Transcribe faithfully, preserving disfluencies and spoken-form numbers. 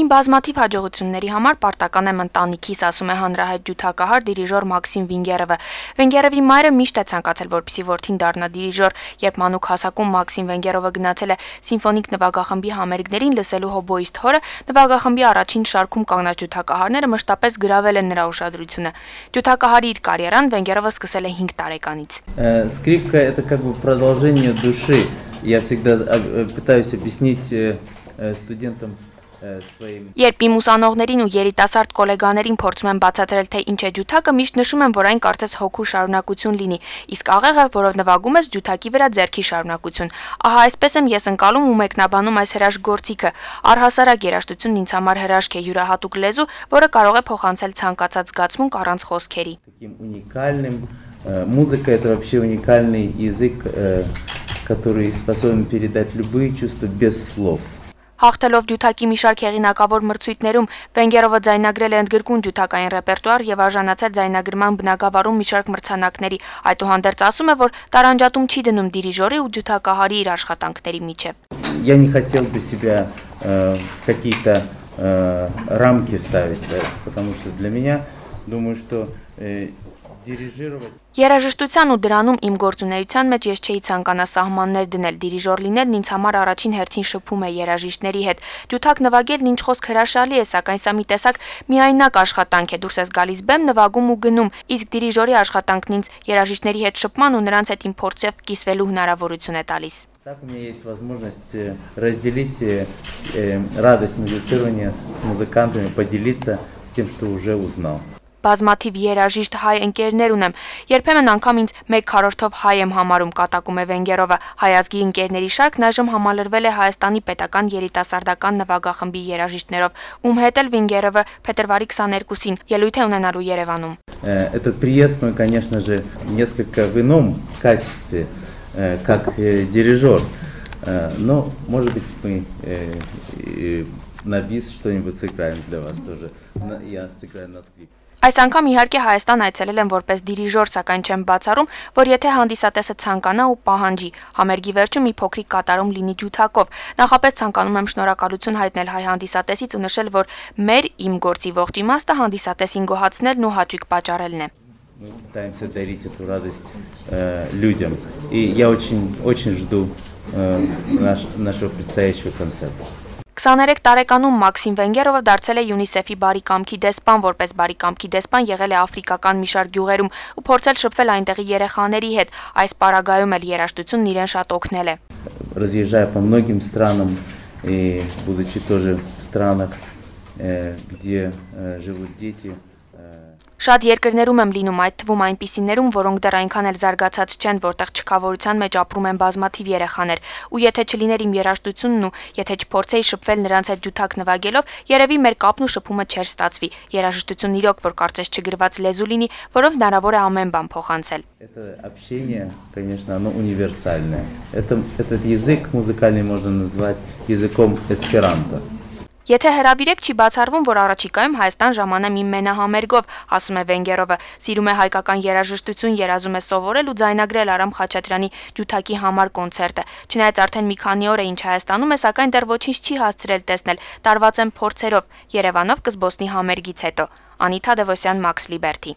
Իմ բազմաթիվ հաջողությունների համար պարտական եմ ընտանիքիս, ասում է հանրահայտ ջութակահար դիրիժոր Մաքսիմ Վենգերովը։ Վենգերովի մայրը միշտ է ցանկացել, որպեսզի որդին դառնա դիրիժոր, երբ մանուկ հասակում Մաքսիմ Վենգերովը գնացել է սիմֆոնիկ նվագախմբի համերգներին լսելու հոբոիստ հորը, նվագախմբի առաջին շարքում կանգնած ջութակահարները մշտապես գրավել են նրա ուշադրությունը։ Ջութակահարի իր կարիերան Վենգերովը սկսել է հինգ տարեկանից։ Скрипка это как бы продолжение души. Я всегда пытаюсь объяснить студентам. Երբ իմ ուսանողներին ու երիտասարդ գոլեգաներին փորձում եմ բացատրել, թե ինչ է ջութակը, միշտ նշում եմ, որ այն կարծես հոգու շարունակություն լինի, իսկ աղեղը, որով նվագում ես, ջութակի վրա ձեռքի շարունակություն։ Ահա այսպես եմ ես ընկալում ու մեկնաբանում այս հրաշք գործիքը։ Առհասարակ երաժշտությունն ինձ համար հրաշք է, յուրահատուկ լեզու, որը կարող է փոխանցել ցանկացած զգացմունք առանց խոսքերի։ Музыка это вообще уникальный язык, который способен передать любые чувства без слов. Հաղթելով ջութակի մի շարք հեղինակավոր մրցույթներում Վենգերովը ձայնագրել է ընդգրկուն ջութակային ռեպերտուար եւ արժանացել ձայնագրման բնագավառում մի շարք մրցանակների։ Այդուհանդերձ ասում է, որ տարանջատում չի դնում դիրիժորի ու ջութակահարի իր աշխատանքների միջև։ Я не хотел бы себя какие-то рамки ставить, потому что для меня, думаю, что Երաժշտության ու դրանում իմ գործունեության մեջ ես չէի ցանկանա սահմաններ դնել, դիրիժոր լինելն ինձ համար առաջին հերթին շփում է երաժիշտների հետ։ Ջութակ նվագելն ինչ խոսք հրաշալի է, սակայն սա մի տեսակ միայնակ աշխատանք է, դուրս ես գալիս բեմ, նվագում ու գնում, իսկ դիրիժորի աշխատանքն ինձ երաժիշտների հետ շփման ու նրանց հետ իմ փորձով կիսվելու հնարավորություն է տալիս։ Так у меня есть возможность разделить радость музицирования с музыкантами, поделиться тем, что уже узнал. Բազմաթիվ երաժիշտ հայ ընկերներ ունեմ, երբեմն անգամ ինձ մեկ քառորդով հայ եմ համարում, կատակում է Վենգերովը։ Հայազգի ընկերների շարքն այժմ համալրվել է Հայաստանի պետական երիտասարդական նվագախմբի երաժիշտներով, ում հետ էլ Վենգերովը փետրվարի քսաներկուսին ելույթ է ունենալու Երևանում։ Этот приезд мы, конечно же, несколько в ином качестве, как дирижер, но, может быть, мы на бис что-нибудь сыграем для вас тоже. Я сыграю на скрипке. Այս անգամ իհարկե Հայաստան այցելել եմ որպես դիրիժոր, սակայն չեմ բացառում, որ եթե հանդիսատեսը ցանկանա ու պահանջի, համերգի վերջում մի փոքրիկ կատարում լինի ջութակով։ Նախապես ցանկանում եմ շնորհակալություն հայտնել հայ հանդիսատեսից ու նշել, որ մեր իմ գործի ողջ իմաստը հանդիսատեսին գոհացնելն ու հաճույք պատճառելն է։ Мы пытаемся дарить эту радость людям, и я очень очень жду нашего предстоящего концерта. քսաներեք տարեկանում Մաքսիմ Վենգերովը դարձել է ՅՈՒՆԻՍԵՖ-ի բարի կամքի դեսպան, որպես բարի կամքի դեսպան եղել է աֆրիկական մի շարք գյուղերում ու փորձել շփվել այնտեղի երեխաների հետ։ Այս պարագայում էլ երաժշտությունն իրեն շատ օգնել է։ Разъезжая по многим странам и будучи тоже в странах, где живут дети. Շատ երկրներում եմ լինում, այդ թվում այնպիսիներում, որոնք դեռ այնքան էլ զարգացած չեն, որտեղ չքավորության մեջ ապրում են բազմաթիվ երեխաներ, ու եթե չլիներ իմ երաժշտությունն ու եթե չփորձեի շփվել նրանց հետ ջութակ նվագելով, երևի մեր կապն ու շփումը չէր ստացվի։ Երաժշտությունն իրոք, որ կարծես չգրված լեզու լինի, որով հնարավոր է ամեն բան փոխանցել։ Это общение, конечно, оно универсальное. Это этот язык музыкальный можно назвать языком эсперанто. Եթե հրավիրեք չի բացառվում, որ առաջիկայում Հայաստան ժամանեմ իմ մենահամերգով, ասում է Վենգերովը, սիրում է հայկական երաժշտություն, երազում է սովորել ու ձայնագրել Արամ Խաչատրյանի ջութակի համար կոնցերտը։ Չնայած արդեն մի քանի օր է ինչ Հայաստանում է, սակայն դեռ ոչինչ չի հասցրել տեսնել, տարված եմ փորձերով, Երևանով կզբոսնի համերգից հետո։ Անիթա Դևոսյան, Մաքս Լիբերթի։